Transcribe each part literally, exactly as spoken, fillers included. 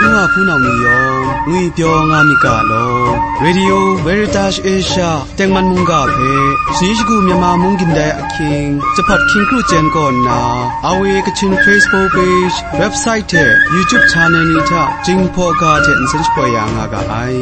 N wa hpunau ni yawng ngwipyaw nga myit ga law, Radio Veritas Asia tengman mungga hpe, shani shagu Myanmar mung gindai ahkying, Jahpat hkying kru chyen kaw nna, R V A Kachin Facebook page, website hte YouTube channel ni hta Jinghpaw ga hte nsen shapoi ya nga ga ai.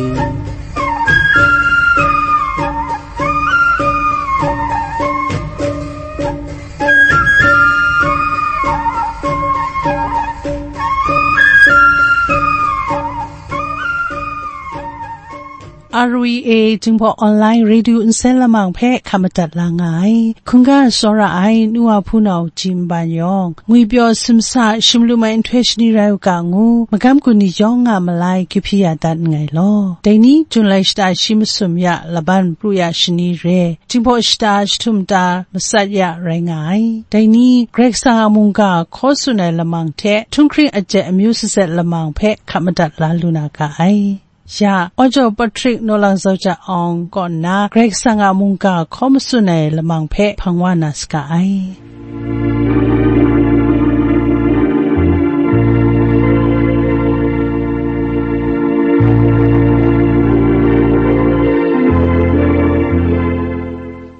R V A Jinghpaw Online Radio nsen lamang hpe hkap madat la nga ai. Hkungga tsawra ai nu wa hpunau Jim Ban yawng, ngwipyaw simsa shim lu mai nhtoi shani rai u ga ngu, magam gun ni yawng nga malai kyu hpyi ya dat nngai law. Dai ni, Jun lai shata shi masum ya laban pru ya shani re, Jinghpaw shata jahtum ta matsat ya rai nga ai. Dai ni, Karai Kasang a mungga hkaw tsun ai lamang hte, htunghkring ajet amyu sazet lamang hpe hkap madat la lu na ga ai. Ya, Aw jaw Patrick Naw Lang Zau Ja Awng kaw nna Karai Kasang a mungga hkaw matsun ai lamang hpe hpang wa na saga ai.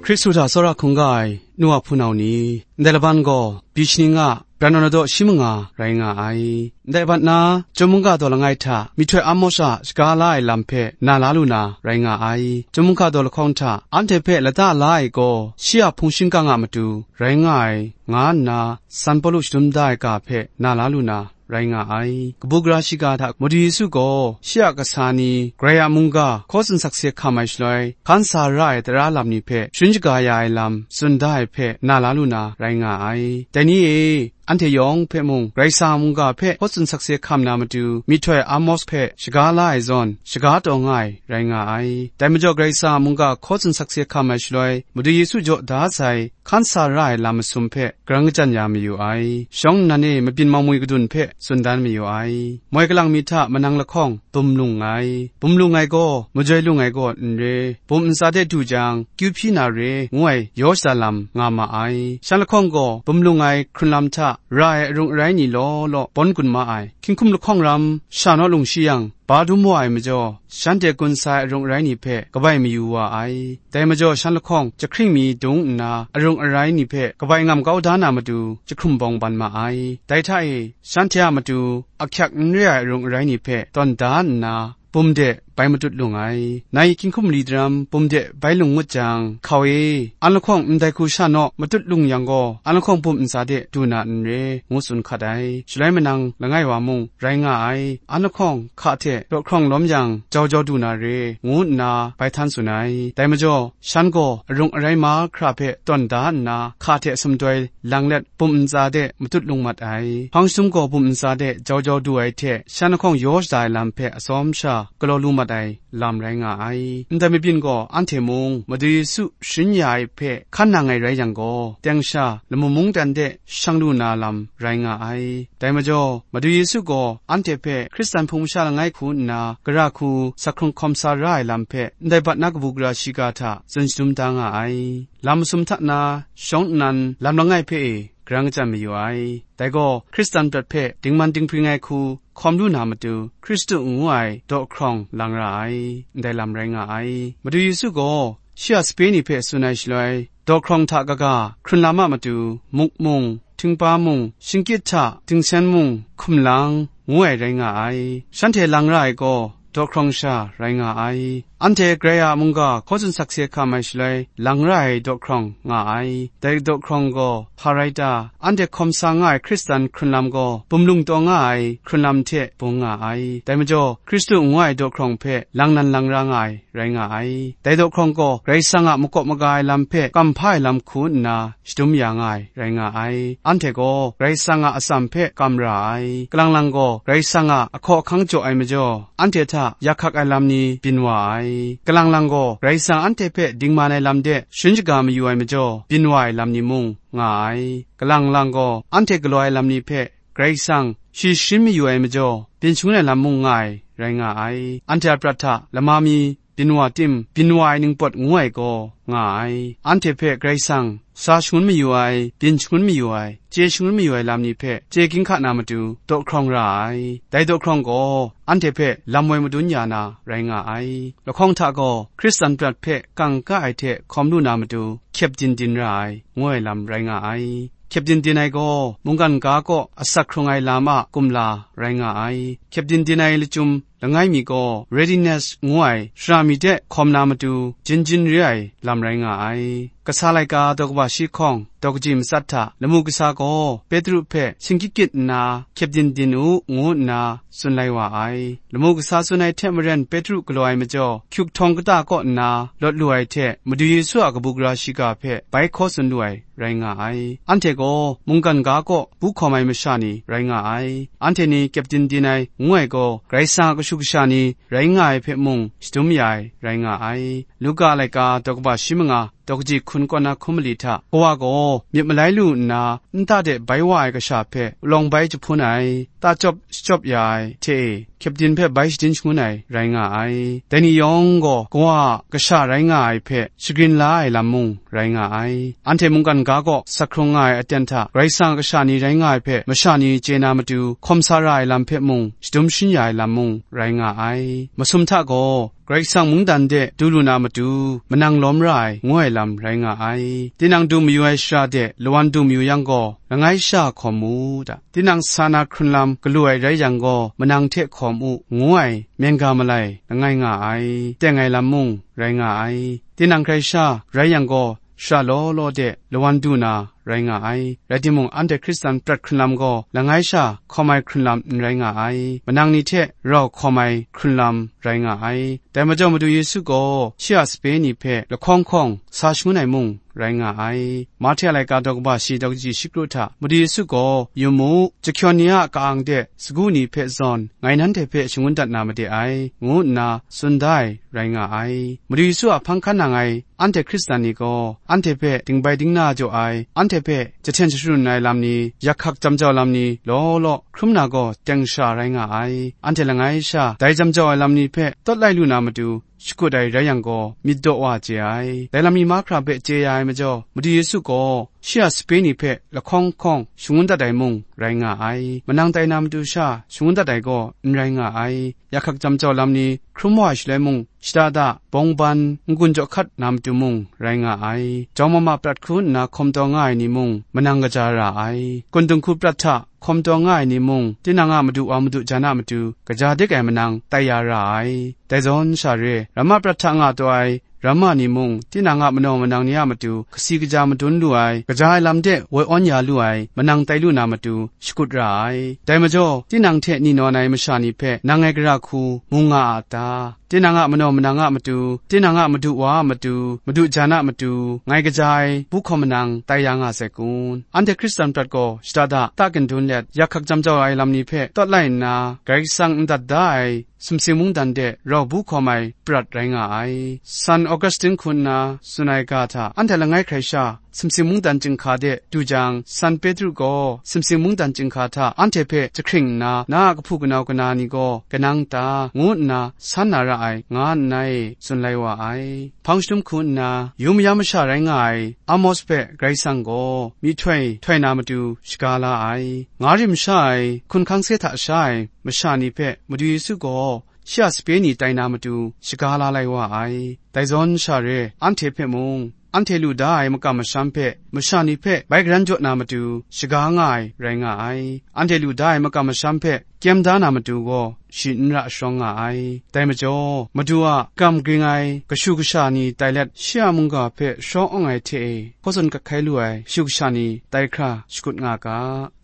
Hkristu hta tsawra hkungga ai nu wa hpunau ni, ndai laban gaw, byi shani nga, bran naw daw shi manga rai nga ai. Ndai bat na, Chyum mungga daw langai hta, myihtoi Amos a shaga la ai lam hpe na la lu na rai nga ai. Chyum mungga daw lahkawng hta, anhte hpe lata la ai gaw, shi a hpung shingkang a matu rai nga ai, nga nna, San Pawlu shadum da ai ga hpe na la lu na rai nga ai. Kabu gara shiga hta Madu Yesu gaw, shi a kasa ni, Karai a mungga hkaw tsun sakse hkam ai shaloi, hkan sa ra ai tara lam ni hpe sharin shaga ya ai lam tsun da ai hpe na la lu na rai nga ai. Dai ni e, anhte yawng hpe mung, Karai Kasang a mungga hpe hkaw tsun sakse hkam na matu, myihtoi Amos hpe shaga la ai zawn, shaga taw nga ai rai nga ai. Dai majaw, Karai Kasang a mungga hkaw tsun sakse hkam ai shaloi, Madu Yesu jaw da sai, hkan sa ra ai lam masum hpe, garang kachyan ya mayu ai. Shawng nnan e mabyin mawmwi kadun hpe tsun dan mayu ai. Moi kalang mi hta manang lahkawng bum lung ai. Bum lung ai gaw, majoi lung ai gaw n re. Bum ntsa de du jang, kyu hpyi na re, ngu ai yaw shada lam nga ma ai. Shan lahkawng gaw, bum lung ai hkrun lam hta ra ai arung arai ni law law bawn gun ma ai. Hkying hkum lahkawng ram sha naw lung shi yang, ba dum wa ai majaw, shanhte gun sa ai arung arai ni hpe kabai mayu wa ai. Dai majaw, shan lahkawng jahkring mi dung nna, arung arai ni hpe kabai ngam kau da na matu, jahkrum bawng ban ma ai. Dai hta e, shanhte a matu ahkyak n re ai arung arai ni hpe tawn da nna, bum de bai matut lung ai. Nai hkying hkum mali daram bum de bai lung ngut jang, hkau e, an lahkawng ndai hku sha naw matut lung yang gaw, an lahkawng bum ntsa de du na n re, ngu tsun hkat ai. Shaloi manang langai wa mung rai nga ai. An lahkawng hka hte daw hkrawng lawm yang, jau jau du na re, ngu nna bai htan tsun ai. Dai majaw, shan gaw arung arai mahkra hpe tawn da nna, hka hte sumdoi lang let, bum ntsa de matut lung mat ai. Hpang shadum gaw bum ntsa de jau jau du ai hte, shan lahkawng yaw shada ai lam hpe atsawm sha galaw lu mat ai lam rai nga ai. Ndai mabyin gaw anhte mung Madu Yesu sharin ya ai hpe hkan nang ai rai yang gaw, teng sha lamu mungdan de shang lu na lam rai nga ai. Dai majaw, Madu Yesu gaw anhte hpe Hkristan hpung masha langai hku nna, gara hku sa hkrung hkawm sa ra ai lam hpe, ndai bat na kabu gara shiga hta tsun shadum da nga ai. Lam masum hta na, shawng nnan lam langai hpe e, garang kachyan mayu ai. Dai gaw, Hkristan prat hpe dingman dinghpring ai hku hkawm lu na matu, Hkristu ngu ai daw hkrawng lang ra ai, ndai lam rai nga ai. Madu Yesu gaw, shi a sape ni hpe tsun ai shaloi, daw hkrawng hta kaga, hkrun lam a matu, muk mung, htingpa mung, shingkyit hta, dingsen mung, hkum lang, ngu ai rai nga ai. Shanhte lang ra ai gaw, daw hkrawng sha rai nga ai. Anhte Karai a mungga hkaw tsun sakse hkam ai shaloi, lang ra ai daw hkrawng nga ai. Dai daw hkrawng gaw hpa rai ta? Anhte hkawm sa nga ai Hkristan hkrun lam gaw, bum lung taw nga ai hkrun lam hte bung nga ai. Dai majaw, Hkristu ngu ai daw hkrawng hpe lang nan lang ra nga ai rai nga ai. Dai daw hkrawng gaw, Karai Kasang a makawp maga ai lam hpe kam hpa ai lam hku nna, shadum ya nga ai rai nga ai. Anhte gaw Karai Kasang a atsam hpe kam ra ai. Kalang lang gaw Karai Kasang a ahkaw ahkang jaw ai majaw, anhte hta yak hkak ai lam ni byin wa ai. Kalang lang gaw Karai Kasang anhte hpe dingman ai lam de sharin shaga mayu ai majaw, byin wa ai lam ni mung nga ai. Kalang lang gaw anhte galaw ai lam ni hpe Karai Kasang shi sharin mayu ai majaw, byin shangun ai lam mung nga ai, rai nga ai. Anhte a prat hta lama mi byin wa tim, byin wa ai ningpawt ngu ai gaw nga ai. Anhte hpe Karai Kasang sa shangun mayu ai, byin shangun mayu ai, chye shangun mayu ai lam ni hpe chye ginhka na matu daw hkrawng ra ai. Dai daw hkrawng gaw anhte hpe lam woi madun ya na rai nga ai. Lahkawng hta gaw Hkristan prat hpe kangka ai hte hkawm lu na matu hkyep din din ra ai, ngu ai lam rai nga ai. Hkyep din din ai gaw mungkan ga kaw asak hkrung ai lam a kumla rai nga ai. Hkyep din din ai lachyum langai mi gaw readiness ngu ai shara mi de hkawm na matu jin jin re ai lam rai nga ai. Kasa laika daw kaba shi hkawng daw kaji matsat hta lamu kasa gaw Petru hpe shingkyit kyit nna hkyep din din u, ngu nna tsun lai wa ai. Lamu kasa tsun ai hte maren Petru galaw ai majaw, hkyuk htawng kata kaw nna lawt lu ai hte Madu Yesu a kabu gara shiga hpe bai hkaw tsun lu ai rai nga ai. Anhte gaw mungkan ga kaw bu hkawm ai masha ni rai nga ai. Anhte ni hkyep din din ai ngu ai gaw, Karai Kasang a kashu kasha ni rai nga ai hpe mung shadum ya ai rai nga ai. Luka a laika daw kaba shi manga daw kaji hkun kaw na hkun mali hta, Kawa gaw myit malai lu nna, nta de bai wa ai kasha hpe palawng bai jahpun ai, ta chyawp shachyawp ya ai hte e, hkyep din hpe bai shadin shangun ai rai nga ai. Dai ni yawng gaw Kawa a kasha rai nga ai hpe shagrin la ai lam mung rai nga ai. Anhte mungkan ga kaw sak hkrung nga ai aten hta Karai Kasang a kasha ni rai nga ai hpe masha ni chye na matu hkawm sa ra ai lam hpe mung shadum shin ya ai lam mung rai nga ai. Masum hta gaw Karai Kasang mungdan de du lu na matu manang lawm ra ai, ngu ai lam rai nga ai. Tinang du mayu ai shara de lawan du mayu yang gaw, langai sha hkawm mu da. Tinang sa na hkrun lam galu ai rai yang gaw, manang hte hkawm u, ngu ai myen ga malai langai nga ai, teng ai lam mung rai nga ai. Tinang hkrai sha rai yang gaw, shara law law de lawan du na rai nga ai. Rai timung, anhte Hkristan prat hkrun lam gaw langai sha hkawm ai hkrun lam n rai nga ai, manang ni hte rau hkawm ai hkrun lam rai nga ai. Dai majaw, Madu Yesu gaw shi a sape ni hpe lahkawng hkawng sa shangun ai mung rai nga ai. Mahte a laika daw kaba shi daw kaji shi kru hta, Madu Yesu gaw, Yu mu, jahkyawn ni a ka-ang de sagu ni hpe zawn ngai nanhte hpe shangun dat na made ai, ngu nna tsun da ai rai nga ai. Madu Yesu a hpang hkan nang ai anhte Hkristan ni gaw, anhte hpe dingbai dingna jaw ai, anhte hpe jahten jasharun ai lam ni, yak hkak jam jau lam ni law law hkrum na gaw teng sha rai nga ai. Anhte langai sha dai jam jau ai lam ni hpe tawt lai lu na matu shakut ai rai yang gaw, myit daw wa chye ai. Dai lam ni mahkra hpe chye ya ai majaw, Madu Yesu gaw shi a sape ni hpe lahkawng hkawng shangun dat ai mung rai nga ai. Manang tai na matu sha shangun dat ai gaw n rai nga ai. Yak hkak jam jau lam ni hkrum wa ai shaloi mung, shada da, bawng ban, n-gun jaw hkat na matu mung rai nga ai. Jawng mama prat hku nna hkawm taw nga ai ni mung, manang kaja ra ai. Kun dinghku prat hta hkawm taw nga ai ni mung, tinang a madu wa madu jan a matu kaja dik ai manang tai ya ra ai. Dai zawn sha re, ramma prat hta nga taw ai ramma ni mung, tinang a manaw manang ni a matu kasi kaja madun lu ai, kaja ai lam de woi awn ya lu ai manang tai lu na matu shakut ra ai. Dai majaw, tinang hte ni nawn ai masha ni hpe nang ngai gara hku mu nga a ta? Tinang a manaw manang a matu, tinang a madu wa a matu, madu jan a matu, ngai kaja ai bu hkawm manang tai ya nga sai kun? Anhte Hkristan prat gaw shada da, ta kandun let, yak hkak jam jau ai lam ni hpe tawt lai nna, Karai Kasang n dat da ai sumsing mungdan de rau bu hkawm ai prat rai nga ai. San Augustine hku nna tsun ai ga hta, anhte langai hkrai sha sumsing mungdan chyinghka de du jang, San Petru gaw sumsing mungdan chyinghka hta anhte hpe jahkring nna, na a kahpu kanau kana ni gaw kanang ta, ngu nna san na ra ai, nga nngai, tsun lai wa ai. Hpang shadum hku nna, yu mayam masha rai nga ai Amos hpe Karai Kasang gaw myihtoi htoi na matu shaga la ai. Nga rim sha ai, hkun hkang se hta sha ai masha ni hpe Madu Yesu gaw shi a sape ni tai na matu shaga la lai wa ai. Dai zawn sha re, anhte hpe mung, anhte lu da ai makam masham hpe masha ni hpe bai garan jaw na matu shaga nga ai rai nga ai. Anhte lu da ai makam masham hpe kyem da na matu gaw, shi n ra sharawng nga ai. Dai majaw, Madu a kam ging ai kashu kasha ni tai let, shi a mungga hpe sharawng awng ai hte e, hkaw tsun kat hkai lu ai kashu kasha ni tai hkra shakut nga ga.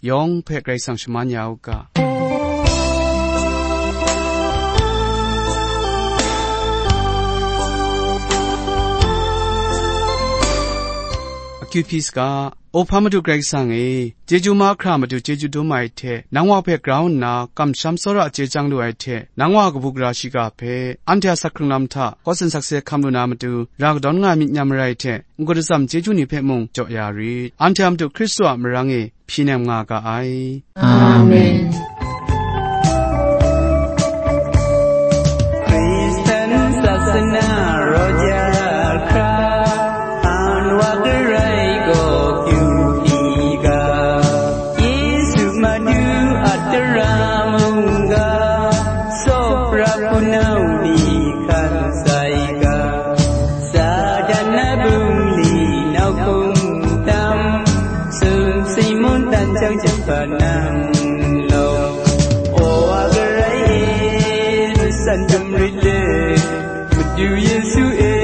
Yawng hpe Karai Kasang shaman ya u ga. Akyu hpyi saga, O hpa Madu Karai Kasang e, chyeju mahkra matu chyeju dum ai hte, nang wa hpe grau nna kamsham tsawra chye chyang lu ai hte, nang wa kabu gara shiga hpe, anhte a sak hkrung lam hta hkaw tsun sakse hkam lu na matu, ra kadawn nga ai myit nyam marai hte, n-gun atsam chyeju ni hpe mung jaw ya rit. Anhte a Madu Hkristu a marang e hpyi nem nga ga ai. Amen. Kristen sasana Yu Yesu e,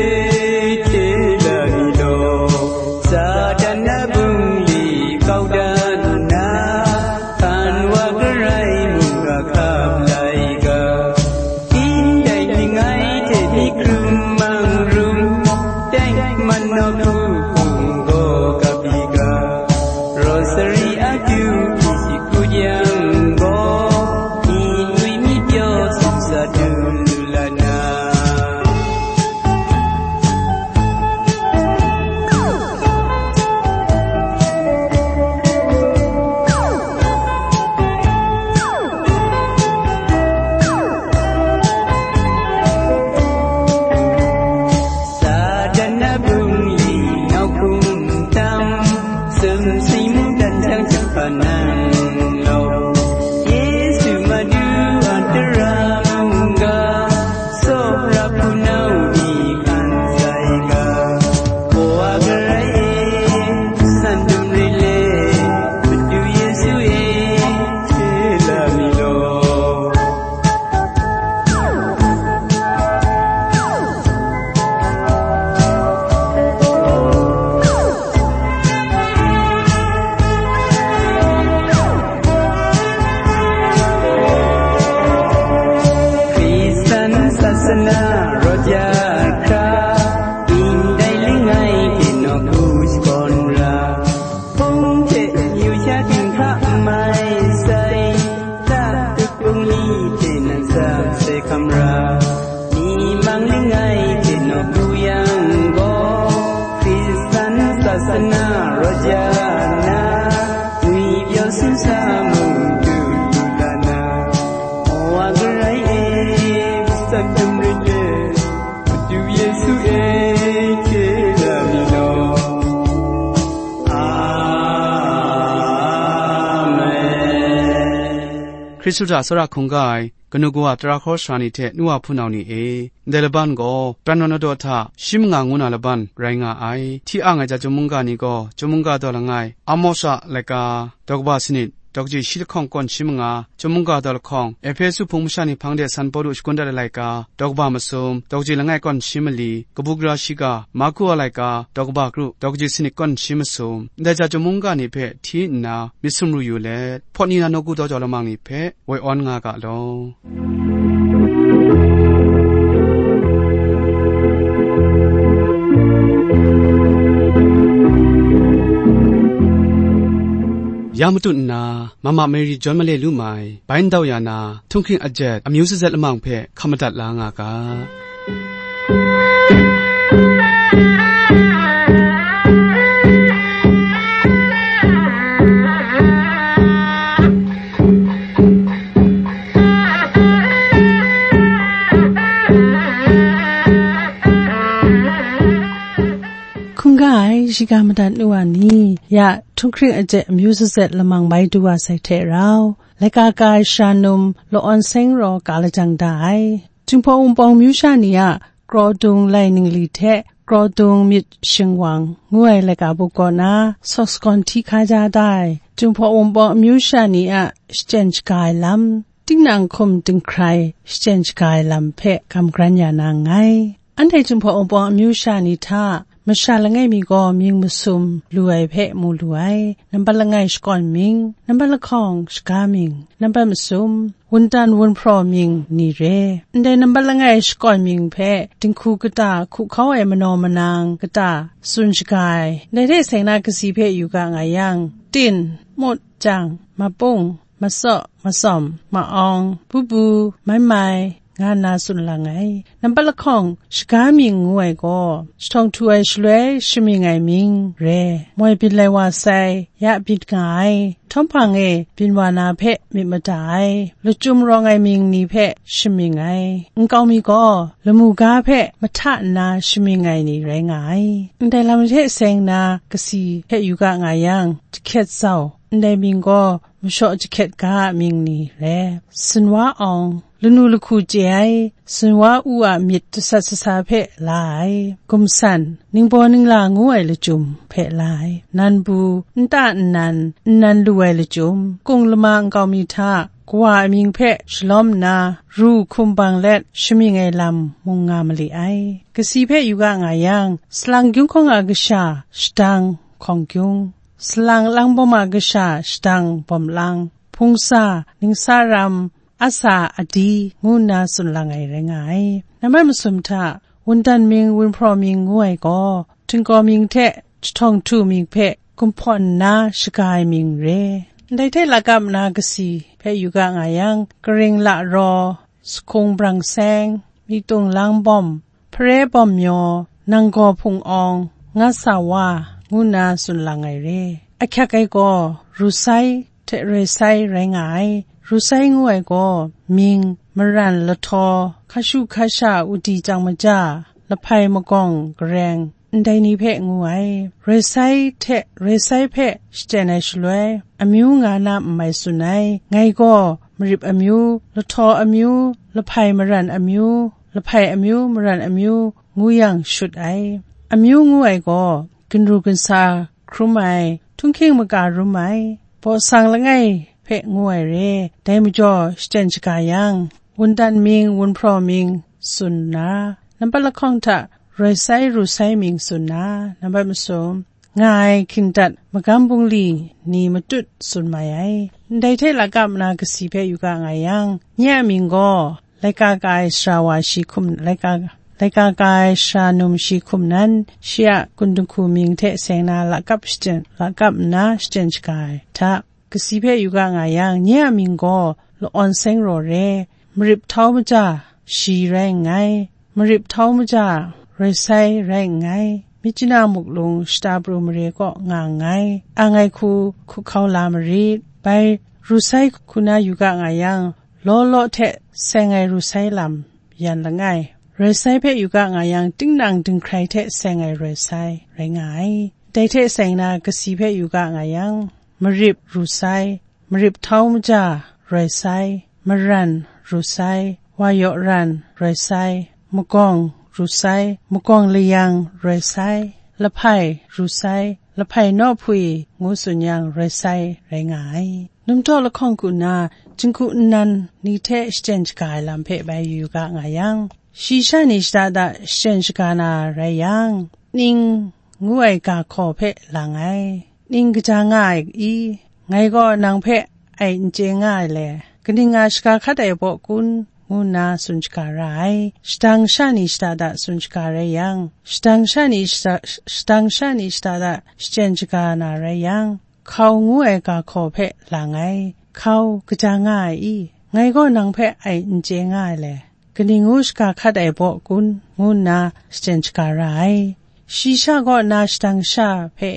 hte la mi law, Satan na bungli kau dan nna, hpan wa garai mungga hkap lai ga, ndai ning ai hte mi hkrum mang rum, teng man nawku hpung gaw kap i ga, Rosary akyu hpyi shi hkut yang gaw, myit ngwi myit pyaw sumsa dum lu la na. Satan na bungli nau hkum tam, sumsing mungdan jang jahpa nang law, Yesu Madu a tara mungga, tsawra hpunau ni hkan sai ga, Kawa garai e, san dum re le, Madu Yesu e, hte la mi law. Hkristan sasana rawt ya hkra, ndai langai hte nawku shakawn ra, hpung hte amyu sha dinghka n mai sai, ta dut bungli hte nan sat sai hkam ra, mi mang langai hte nawku yang gaw, Hkristan sasana rawt ya na, ngwi pyaw sumsa mung dut lu la na, Kawa garai e, matsat dum rit e, Madu Yesu e, hte la mi law. Amen. Hkristu hta tsawra hkungga ai kanu kawa tara hkawra sara ni hte nu wa hpunau ni e, ndai laban gaw pran naw na daw hta shi manga ngu na laban rai nga ai. Hti ang ai ja chyum mungga ni gaw chyum mungga daw langai, Amos a laika daw kaba sanit, daw kaji shi lahkawng kawn shi manga, chyum mungga daw lahkawng, Ehpesu hpung masha ni hpang de San Pawlu shakun dat ai laika daw kaba masum, daw kaji langai kawn shi mali, kabu gara shiga, Marku a laika daw kaba kru, daw kaji sanit kawn shi masum, ndai ja chyum mungga ni hpe hti nna myit sumru yu let, hpawt ni na nawku daw jau lamang ni hpe woi awn nga ga law. Ya matut nna, Mama Mary John Male Lumai, bai ndau ya na, htunghking ajet, amyu sazet lamang hpe hkam madat la nga ga. Hkungga ai, shiga madat nu wa ni, ya htunghking ajet amyu sazet lamang bai du wa sai hte rau, laika ka ai sha num, Lawan Seng raw ka lajang da ai. Jinghpaw Wunpawng myu sha ni a Krawdung lai ningli hte Krawdung myit shingwang ngu ai laika buk kaw na, sawk sagawn hti hkaja da ai, Jinghpaw Wunpawng amyu sha ni a shachyen shaga ai lam, tinang hkum dinghkrai shachyen shaga ai lam hpe gam gran ya na nngai. Anhte Jinghpaw Wunpawng amyu sha ni hta, masha langai mi gaw mying masum lu ai hpe mu lu ai, nambat langai shakawn mying, nambat lahkawng shaga mying, nambat masum, wundan wunhpraw mying ni re. Ndai nambat langai shakawn mying hpe dinghku kata hku hkau ai manaw manang kata tsun shaga ai, ndai hte seng na kasi hpe yu ga nga yang, tin, mut, jang, mapung, matsaw, matsawm, ma-awng, bubu, maimai, nga nna tsun lang ai. Nambat lahkawng shaga mying ngu ai gaw, jahtawng htu ai shaloi shamying ai mying re, moi byin lai wa sai, ya byin nga ai, htawm hpang e byin wa na hpe myit mada ai, lachyum rawng ai mying ni hpe shamying ai, nkau mi gaw lamu ga hpe mahta nna shamying ai ni rai nga ai. Ndai lam hte seng na kasi hpe yu ga nga yang, jahkyet zau, ndai mying gaw mashaw jahkyet ga a mying ni re, sinwa awng, lanu lahku chye ai, sinwa u a myit jasat sasa hpe la ai, gumsan, ningbaw ningla ngu ai lachyum hpe la ai, nanbu, nta nnan, nnan lu ai lachyum, kung lama nkau mi hta, Kawa amying hpe shalawm nna, ru hkum bang let shamying ai lam mung nga mali ai. Kasi hpe yu ga nga yang, salang gyung hkawng a kasha, shadang hkawng gyung, salang lang bawm a kasha, shadang bawm lang, hpungsa, ningsa ram, asa adi, ngu nna tsun lang ai rai nga ai. Nambat masum hta, wundan mying, wunhpraw mying ngu ai gaw, htingkaw mying hte jahtawng htu mying hpe gumhpawn nna shaga ai mying re. Ndai hte lakap nna kasi hpe yu ga nga yang, karing la raw, sahkung brang seng, myitung lang bawm, hpare bawm myaw, nanggaw hpung awng, nga sa wa, ngu nna tsun lang ai re. Ahkyak ai gaw, ru sai hte roi sai rai nga ai. Ru sai ngu ai gaw, mying, maran, lahtaw, hkashu hkasha, udi chyang maja, lahpai magawng gareng, ndai ni hpe ngu ai. Roi sai hte roi sai hpe shachyen ai shaloi, amyu nga na n mai tsun ai. Ngai gaw marip amyu, lahtaw amyu, lahpai maran amyu, lahpai amyu maran amyu ngu yang shut ai. Amyu ngu ai gaw, ginru ginsa hkrum ai, htunghking maka rum ai, baw sang langai hpe ngu ai re. Dai majaw shachyen shaga yang, wundan mying, wunhpraw mying tsun nna, nambat lahkawng hta roi sai ru sai mying tsun nna, nambat masum, nga ai hkyingdat magam bungli ni matut tsun mai ai. Ndai hte lakap nna kasi hpe yu ga nga yang, nye a mying gaw, laika ka ai sara wa shi hkum, laika, laika ka ai sara num shi hkum nan, shi a kun dinghku mying hte seng na lakap shachyen, lakap nna shachyen shaga ai hta, kasi hpe yu ga nga yang, nye a mying gaw laawn seng raw re, marip htau maja shi rai nngai, marip htau maja roi sai rai nngai, myit chana muklung shata pru mare kaw nga nngai, ang ai hku hkuhkau la marit. Bai ru sai hku na yu ga nga yang, law law hte seng ai ru sai lam yan langai, roi sai hpe yu ga nga yang, tinang dinghkrai hte seng ai roi sai rai nga ai. Dai hte seng na kasi hpe yu ga nga yang, marip ru sai, marip htau maja roi sai, maran ru sai, wa yaw ran roi sai, magawng ru sai, magawng layang roi sai, lahpai ru sai, lahpai nawhpwi ngu tsun yang roi sai rai nga ai. Numtaw lahkawng ku nna, jinghku nnan ni hte shachyen shaga ai lam hpe bai yu ga nga yang, shi sha ni shada da shachyen shaga na rai yang, ning ngu ai ga hkaw hpe lang ai. Ning kaja nga ai i? Ngai gaw nang hpe ai n chye nga ai le? Kaning nga shaga hkat ai baw kun? Ngu nna tsun shaga ra ai. Shadang sha ni shada da tsun shaga rai yang, shadang sha ni shada, shadang sha ni shada da shachyen shaga na rai yang, hkau ngu ai ga hkaw hpe lang ai. Hkau kaja nga ai i? Ngai gaw nang hpe ai n chye nga ai le? Kaning ngu shaga hkat ai baw kun? Ngu nna shachyen shaga ra ai. Shi sha kaw na shadang sha hpe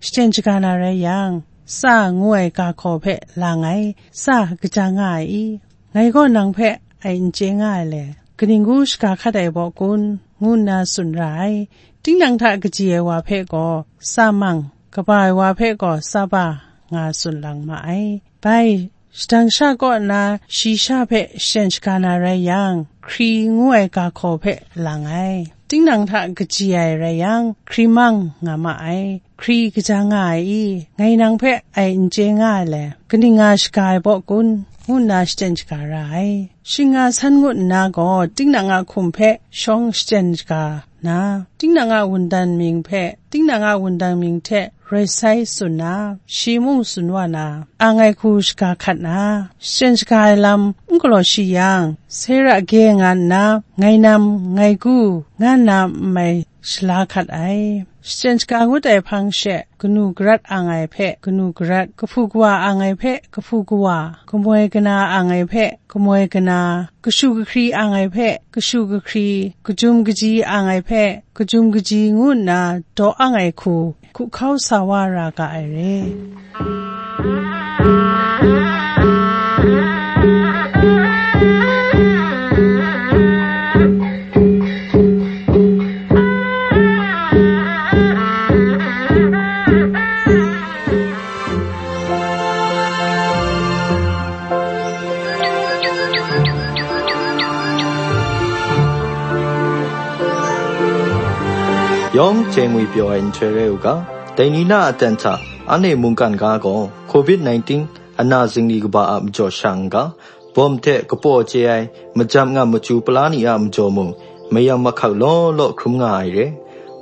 shachyen shaga na rai yang, tsa ngu ai ga hkaw hpe lang ai, tsa kaja nga ai i? Ngai gaw nang hpe ai n chye nga ai le? Kaning ngu shaga hkat ai baw kun? Ngu nna tsun ra ai. Tinang hta kaji ai wa hpe gaw tsa mang, kaba ai wa hpe gaw tsa ba nga tsun lang ma ai. Bai, shadang sha kaw na shi sha hpe shachyen shaga na rai yang, hkri ngu ai ga hkaw hpe lang ai. Tinang hta kaji ai rai yang, hkri mang nga ma ai. Hkri kaja nga ai i? Ngai nang hpe ai n chye nga ai le? Kaning nga shaga ai baw kun? Ngu nna shachyen shaga ra ai. Shing nga san ngut nna gaw, tinang a hkum hpe shawng shachyen shaga na, tinang a wundan mying hpe, tinang a wundan mying hte roi sai tsun na, shi mung tsun wa na, ang ai hku shaga hkat na, shachyen shaga ai lam n galaw shi yang, sera ge nga nna, ngai nam, ngai gu, nga nna n mai shala hkat ai. Shachyen shaga ngut ai hpang she, kanu garat ang ai hpe kanu garat, kahpu kawa ang ai hpe kahpu kawa, kamoi kana ang ai hpe kamoi kana, kashu kahkri ang ai hpe kashu kahkri, kajum kaji ang ai hpe kajum kaji ngu nna daw ang ai hku, hkuhkau sa wa ra ga ai re. Yawng chye ngwi pyaw ai nhtoi rai u ga, dai ni na a aten hta, anhte mungkan ga gaw, covid nineteen ana zingli kaba a majaw sha n ga, bawm hte kapaw chye ai, majam ngam machyu pala ni a majaw mung, mayam mahkak law law hkrum nga ai re.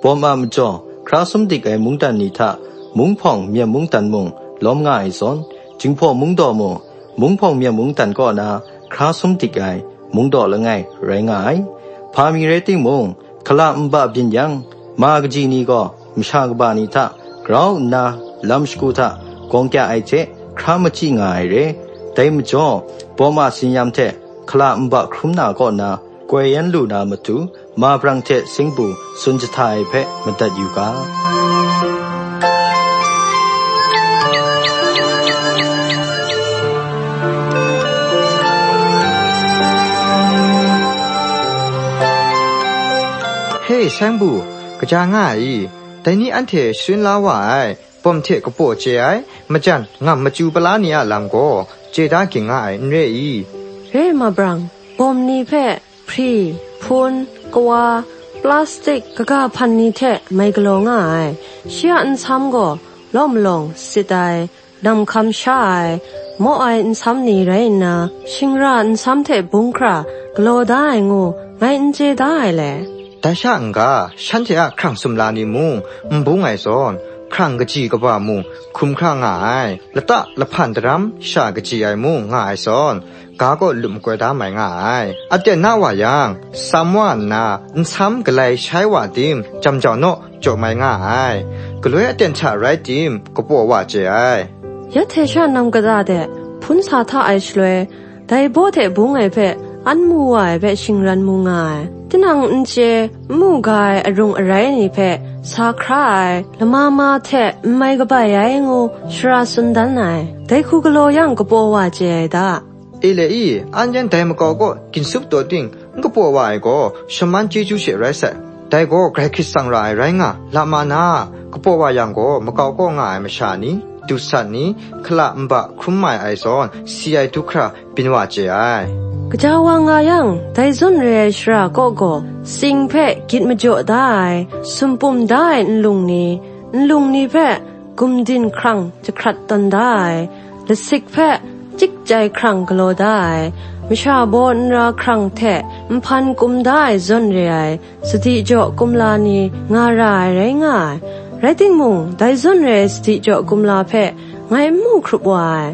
Bawm a majaw, hkra sum dik ai mungdan ni hta, munghpawng myam mungdan mung lawm nga ai zawn, Jinghpaw mungdaw mung, munghpawng myam mungdan kaw na hkra sum dik ai, mungdaw langai rai nga ai. Hpa mi rai timung, hkala nba byin yang, ma kaji ni gaw masha kaba ni hta grau nna lam shagu hta gawng kya ai hte hkra machyi nga ai re. Dai majaw, bawm a tsin-yam hte hkala nba hkrum na kaw na, koi yan lu na matu, ma brang hte singbu tsun jahta ai hpe madat yu ga. He, singbu, kaja nga ai i? Dai ni anhte sharin la wa ai, bawm hte kapaw chye ai, majan ngam machyu pala ni a lam gaw, chye da ging nga ai, n re i? Re, ma brang, bawm ni hpe hpri, hpun, kawa, plastik, kaga hpan ni hte mai galaw nga ai. Shi a nsam gaw lawm malawng sit ai, namhkam sha ai, maw ai nsam ni rai nna, shingra nsam hte bung hkra galaw da ai ngu, ngai n chye da ai le. Dai sha n ga, shanhte a hkrang sumla ni mung n bung ai zawn, hkrang kaji kaba mung hkrum hkra nga ai, lata lahpan daram sha kaji ai mung nga ai zawn, ga kaw lup makoi da mai nga ai. Aten na wa yang, sam wa nna, nsam galai shai wa tim, jam jau naw, jaw mai nga ai. Galoi aten hta rai tim, kapaw wa chye ai. Ya hte sha nam kata de, hpun sa hta ai shaloi, dai baw hte bung ai hpe, an mu wa ai hpe shingran mu nga ai. Tinang n chye, n mu ga ai arung arai ni hpe, sa hkra ai, lama ma hte n mai kabai ai ngu, shara tsun dan ai. Dai hku galaw yang kapaw wa chye ai da. Ele i, an yan dai makau kaw ginsup taw ting, n kapaw wa ai gaw, shaman chyeju she rai sai. Dai gaw Karai Hkrit tsang ra ai rai nga, lama na, kapaw wa yang gaw, makau kaw nga ai masha ni, dusat ni, hkala nba hkrum mai ai zawn, si ai du hkra byin wa chye ai. Kaja wa nga yang, dai zawn re ai shara kaw gaw, tsing hpe gyit majaw da ai, sumpum da ai nlung ni, nlung ni hpe gumdin hkrang jahkrat tawn da ai, lasik hpe chyikchyai hkrang galaw da ai, masha baw nra hkrang hte nhpan kum da ai zawn re ai, sadi jaw kumla ni nga ra ai rai nga ai. Rai timung, dai zawn re ai sadi jaw kumla hpe ngai n mu hkrup wa ai.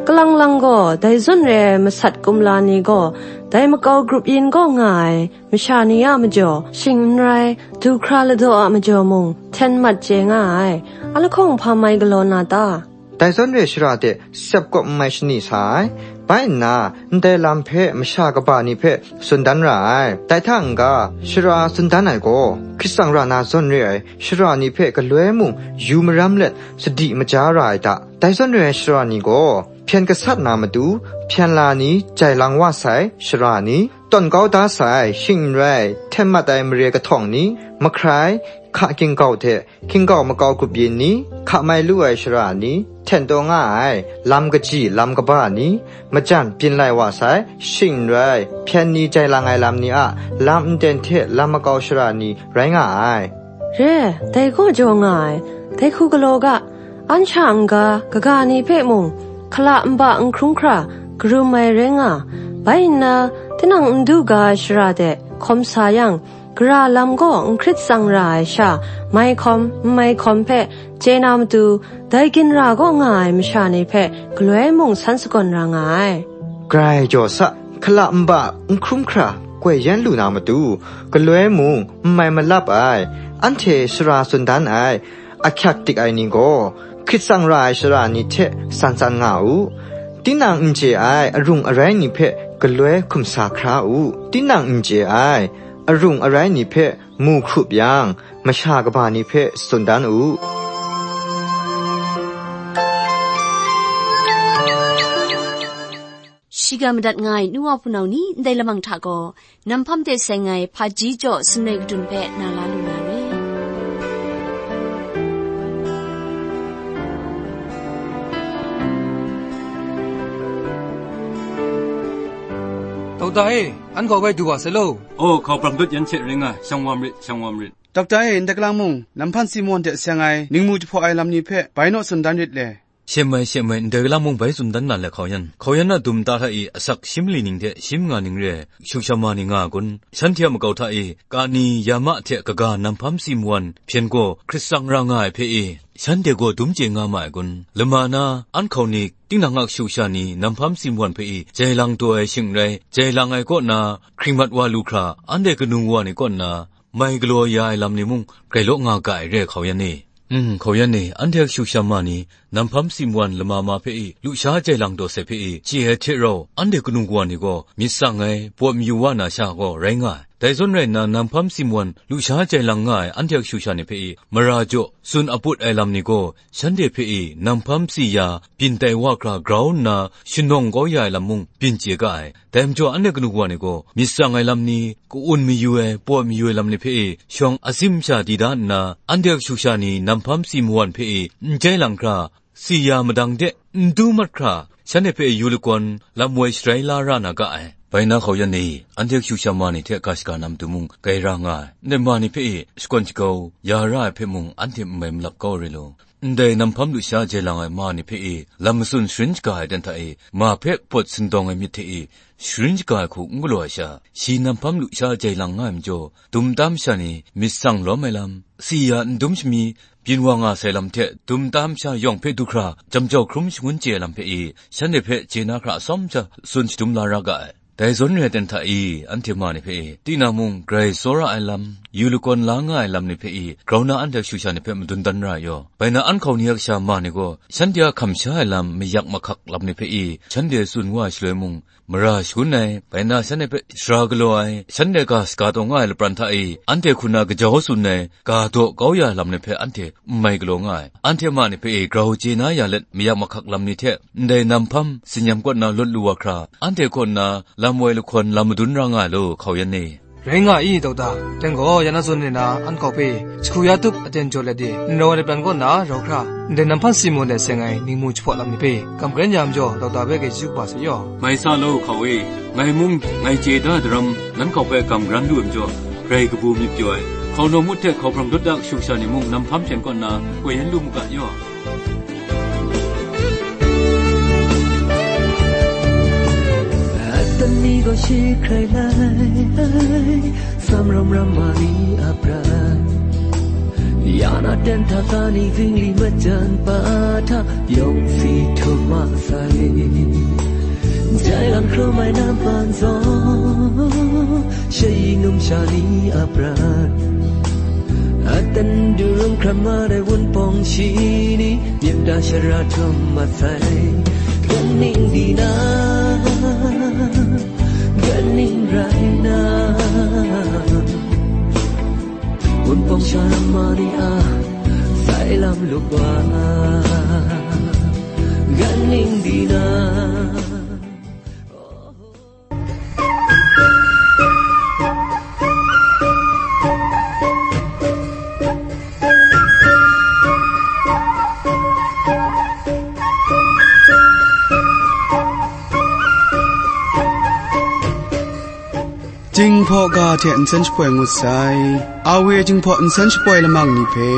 Kalang lang gaw, dai zawn re ai masat kumla ni gaw, dai makau grup yin kaw nga ai masha ni a majaw, shing n rai, du hkra ladaw a majaw mung, hten mat chye nga ai. A lahkawng hpa mai galaw na ta? Dai zawn re ai shara de sep kawp n mai shani sa ai. Bai nna, ndai lam hpe masha kaba ni hpe tsun dan ra ai. Dai hta n-ga, shara tsun dan ai gaw, Hkrit tsang ra na zawn re ai shara ni hpe galoi mung yu maram let sadi maja ra ai ta? Dai zawn re ai shara ni gaw, hpyen gasat na matu, hpyen la ni, jai lang wa sai shara ni, tawn kau da sai, shing n rai, hten mat ai mare kahtawng ni, mahkrai, hka hkinggau hte hkinggau makau grup yin ni, hka mai lu ai shara ni, hten taw nga ai, lam kaji, lam kaba ni, majan byin lai wa sai, shing n rai, hpyen ni jai lang ai lam ni a, lam nten hte lam makau shara ni rai nga ai. Re, dai gaw jaw nga ai, dai hku galaw ga, an sha n-ga, kaga ni hpe mung, hkala nba n hkrum hkra, karum ai rai nga, bai nna, tinang n du ga ai shara de, hkawm sa yang, gara lam gaw n hkrit tsang ra ai sha, mai hkawm, n mai hkawm hpe, chye na matu, dai ginra kaw nga ai masha ni hpe, galoi mung san sagawn ra nga ai. Grai jaw sa, hkala nba n hkrum hkra, koi yan lu na matu, galoi mung n mai malap ai, anhte shara tsun dan ai, ahkyak dik ai ni gaw, hkrit tsang ra ai shara ni hte tsan tsan nga u. Tinang n chye ai arung arai ni hpe galoi hkum sa hkra u. Tinang n chye ai arung arai ni hpe mu hkrup yang, masha kaba ni hpe tsun dan u. Shiga madat nga ai nu wa hpunau ni, ndai lamang hta gaw, Nam hpam de seng ai hpaji jaw sumnoi kadun hpe na la lu na re. Dauda e, an hkawhpai du wa sai law. Oh, hkau pram dut yan hte ring ai, shang wa marit, shang wa marit. Dokta e ndai galang mung, Namhpan Simon hte seng ai ningmu jahpaw ai lam ni hpe bai naw tsun dan rit le. Shem ai, shem ai, ndai galang mung bai tsun dan na le hkau yan. Hkau yan a dum nta hta e asak shi mali ning hte shi manga ning re ai, shuk sha ma ni nga ai kun? Shanhte a makau hta e, kani, ya ma hte kaga Namhpan Simon hpyen gaw hkrit tsang ra nga ai hpe e, shanhte gaw dum chye nga ma ai kun? Lama na, an hkau ni, tinang a kashu kasha ni Namhpan Simon hpe e jai lang taw ai shing n rai, jai lang ai kaw na, hkring mat wa lu hkra, anhte kanu wa ni kaw nna, mai galaw ya ai lam ni mung grai law nga ga ai re ai hkau yan e. N, hkau yan e, anhte kashu kasha ma ni, Namhpan Simon lama ma hpe e, lusha jai lang taw sai hpe e, chye ai hte rau, anhte kanu wa ni gaw myit tsang ai, pawt mayu wa na sha gaw rai nga ai. Dai zawn rai nna, Namhpan Simon lusha jai lang nga ai anhte kashu kasha ni hpe e, mara jaw, tsun aput ai lam ni gaw, shanhte hpe e, Namhpan si ya, byin tai wa hkra grau nna, shanawng kau ya ai lam mung byin chye ga ai. Dai majaw, anhte kanu wa ni gaw, myit tsang ai lam ni, ka-un mayu ai, pawt mayu ai lam ni hpe e, shawng atsim sha di da nna, anhte kashu kasha ni Namhpan Simon hpe e, n jai lang hkra, si ya madang de, n du mat hkra, shanhte hpe yu lagawn lam woi sharai la ra na ga ai. Bai na hkau yan e, anhte kashu kasha ma ni hte ga shaga na matu mung grai ra nga ai. Ndai ma ni hpe e, shakawn shakau ya ra ai hpe mung anhte n mai malap kau ai re law, ndai Namhpan lusha jai lang ai ma ni hpe e, lam matsun sharin shaga ai ten hta e, ma hpe pawt sindawng ai myit hte e, sharin shaga ai hku n galaw ai sha, shi Namhpan lusha jai lang nga ai majaw, dum tam sha ni myit tsang lawm ai lam, si ya n dum shami, byin wa nga sai lam hte dum tam sha yawng hpe du hkra, jam jau hkrum shangun chye ai lam hpe e, shanhte hpe chye na hkra atsawm sha tsun shadum la ra ga ai. Dai zawn re ai ten hta e, anhte ma ni hpe e, tinang mung grai tsawra ai lam, yu lagawn la nga ai lam ni hpe e, grau na anhte kashu kasha ni hpe madun dan ra ai yaw, bai na an hkau ni a kasha ma ni gaw, shanhte a hkam sha ai lam, mayak mahkak lam ni hpe e, shanhte tsun wa ai shaloi mung, mara shangun ai, bai na shanhte hpe sara galaw ai, shanhte ga shaga taw nga ai lapran hta e, anhte hku na kajau tsun ai, ga daw kau ya ai lam ni hpe anhte n mai galaw nga ai. Anhte ma ni hpe e grau chye na ya let, mayak mahkak lam ni hte, ndai Namhpan, Sinyam kaw na lawt lu wa hkra, anhte kaw na lam woi lahkawn lam madun ra nga ai law, hkau yan e. Rai nga i, Dokta, dai gaw, ya na zawn re na, an hkau hpe, jahku ya tup aten jaw let e, n rau ai lapran kaw na rau hkra, ndai Namhpan Simon hte seng ai ningmu jahpaw lam ni hpe, kam karen ya majaw, Dokta hpe grai chyeju kaba sa yaw. Mai sa law, hkau e, ngai mung, ngai chye da daram, nan hkau hpe kam karan lu ai majaw, grai kabu myit pyaw ai, hkau naw mut hte hkau hprang dawt da kashu kasha ni mung Namhpan hpyen kaw nna, koi yan lu mu ga yaw. Atani gaw shi hkrai lai, sam ram ram ma ni a prat. Ya na ten hta ka ni zingli majan pa hta, yawng si htum ma sai. Jai lang hkrum ai Namhpan zawn, shayi numsha ni a prat. Atan durung hkram mat ai Wunpawng shi ni, myit da shara htum mat sai. Ganning di na, ganning rai na, Wunpawng sha ram ma ni a, sai lam lup wa, ganning di na. Jinghpaw ga hte nsen shapoi ngut sai. Awe Jinghpaw nsen shapoi lamang ni hpe,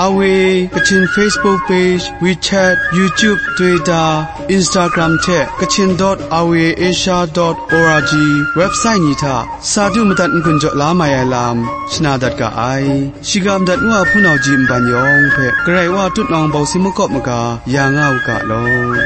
Awe Kachin Facebook page, WeChat, YouTube, Twitter, Instagram hte Kachin dot awe asia dot org website ni hta sa du madat n-gun jaw la mai ai lam shana dat ga ai. Shiga madat ngu a hpunau ji nban yawng hpe Karai Wa tutnawng bawsi makawp maga ya nga u ga law.